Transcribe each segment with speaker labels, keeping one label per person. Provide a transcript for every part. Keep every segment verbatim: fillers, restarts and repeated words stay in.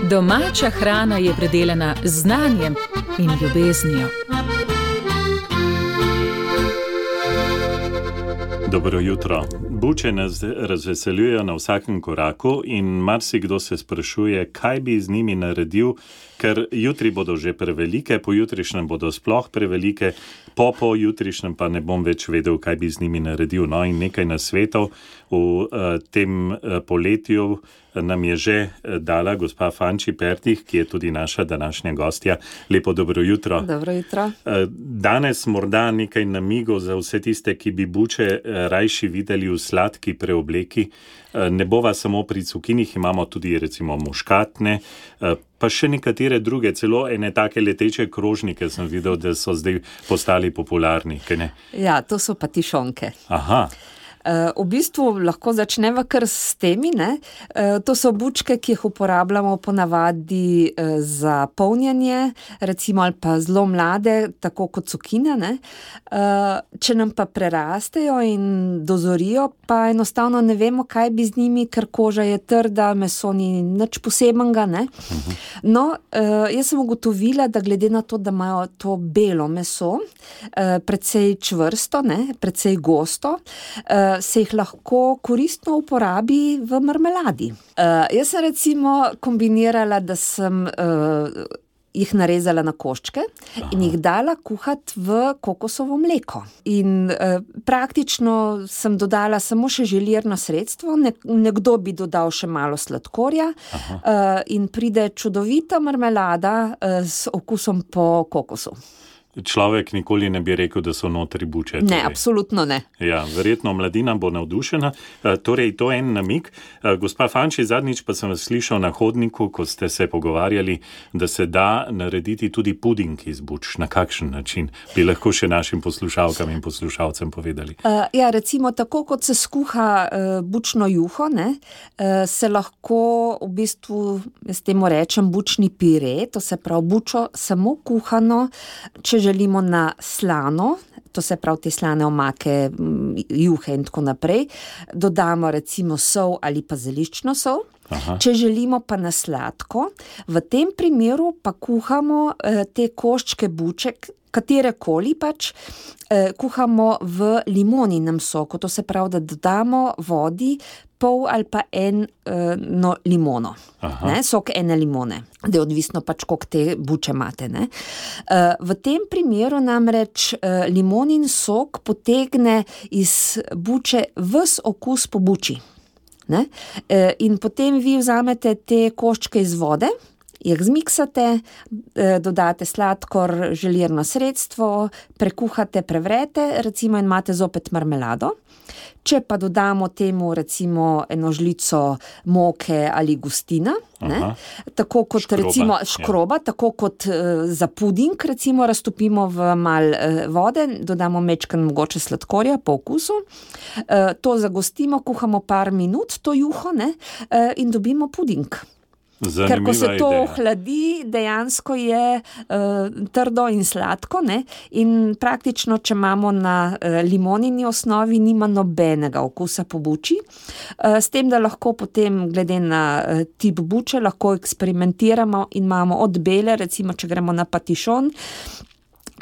Speaker 1: Domača hrana je predelana z znanjem in ljubeznijo.
Speaker 2: Dobro jutro. Buče nas razveseljujejo na vsakem koraku in marsikdo se sprašuje, kaj bi z njimi naredil, ker jutri bodo že prevelike, pojutrišnjem bodo sploh prevelike, po pojutrišnjem pa ne bom več vedel, kaj bi z njimi naredil. No, in nekaj nasvetov v uh, tem uh, poletju nam je že dala gospa Fanči Pertih, ki je tudi naša današnja gostja. Lepo dobro jutro.
Speaker 3: Dobro jutro.
Speaker 2: Danes morda nekaj namigov za vse tiste, ki bi buče rajši videli v sladki preobleki. Ne bova samo pri cukinih, imamo tudi recimo muškatne, pa še nekatere druge, celo ene take leteče krožnike sem videl, da so zdaj postali popularni. Kaj ne?
Speaker 3: Ja, to so patišonke.
Speaker 2: Aha.
Speaker 3: V bistvu lahko začneva kar s temi, ne? To so bučke, ki jih uporabljamo ponavadi za polnjenje, recimo ali pa zelo mlade, tako kot cukine, ne? Če nam pa prerastejo in dozorijo, pa enostavno ne vemo, kaj bi z njimi, ker koža je trda, meso ni nič posebenega, ne? No, jaz sem ugotovila, da glede na to, da imajo to belo meso, precej čvrsto, ne? Precej gosto, se jih lahko koristno uporabi v marmeladi. Uh, jaz sem recimo kombinirala, da sem uh, jih narezala na koščke Aha. in jih dala kuhati v kokosovo mleko. In uh, praktično sem dodala samo še želirno sredstvo, ne, nekdo bi dodal še malo sladkorja uh, in pride čudovita marmelada uh, s okusom po kokosu.
Speaker 2: Človek nikoli ne bi rekel, da so notri buče.
Speaker 3: Ne, torej. Absolutno ne.
Speaker 2: Ja, verjetno mladina bo navdušena. Torej, to je en namig. Gospa Fanči, zadnjič pa sem vas slišal na hodniku, ko ste se pogovarjali, da se da narediti tudi puding iz buč. Na kakšen način? Bi lahko še našim poslušalkam in poslušalcem povedali.
Speaker 3: Uh, ja, recimo tako, kot se skuha uh, bučno juho, ne, uh, se lahko v bistvu, jaz temu rečem, bučni pire, to se pravi bučo samo kuhano, če želimo na slano, to se pravi te slane omake, juhe in tako naprej, dodamo recimo sol ali pa zeliščno sol. Aha. Če želimo pa na sladko, v tem primeru pa kuhamo eh, te koščke buček, katerekoli pač, eh, kuhamo v limoninem soku, to se pravi, da dodamo vodi pol ali pa eno limono, ne, sok ene limone, da je odvisno pač, koliko te buče imate. Ne. V tem primeru namreč limonin sok potegne iz buče ves okus po buči. Ne. In potem vi vzamete te koščke iz vode, jih zmiksate, dodate sladkor, želirno sredstvo, prekuhate, prevrete, recimo in imate zopet marmelado. Če pa dodamo temu recimo eno žlico moke ali gustina, ne, tako kot škroba, recimo škroba, ja. Tako kot uh, za puding, recimo raztopimo v mal uh, vode, dodamo mečkan mogoče sladkorja po okusu, uh, to zagostimo, kuhamo par minut, to juho, ne, uh, in dobimo puding.
Speaker 2: Zanimiva
Speaker 3: Ker ko se to
Speaker 2: ideja.
Speaker 3: ohladi, dejansko je uh, trdo in sladko, ne? In praktično, če imamo na uh, limonini osnovi, nima nobenega okusa po buči. Uh, s tem, da lahko potem, glede na uh, tip buče, lahko eksperimentiramo in imamo od bele, recimo, če gremo na patišon,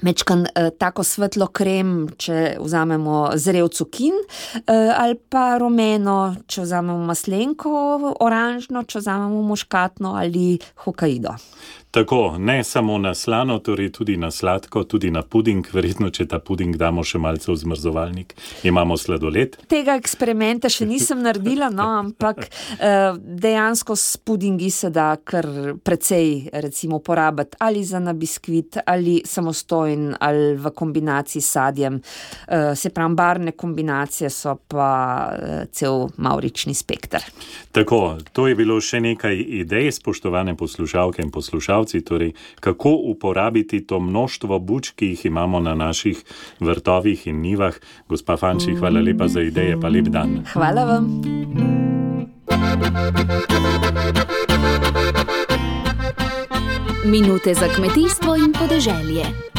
Speaker 3: mečkan eh, tako svetlo krem, če vzamemo zrel cukin, eh, ali pa rumeno, če vzamemo maslenko, oranžno, če vzamemo muškatno ali hokaido.
Speaker 2: Tako, ne samo na slano, torej tudi na sladko, tudi na puding, verjetno, če ta puding damo še malce v zmrzovalnik. Imamo sladoled.
Speaker 3: Tega eksperimenta še nisem naredila, no, ampak eh, dejansko s pudingi se da kar precej, recimo, porabiti ali za na biskvit, ali samostojen, ali v kombinaciji s sadjem. Eh, se pravi, barvne kombinacije so pa eh, cel mavrični spekter.
Speaker 2: Tako, to je bilo še nekaj idej, spoštovane poslušalke in poslušalci. Torej, kako uporabiti to množstvo buč, ki jih imamo na naših vrtovih in njivah. Gospa Fanči, hvala lepa za ideje, pa lep dan.
Speaker 3: Hvala vam.
Speaker 1: Minute za kmetijstvo in podeželje.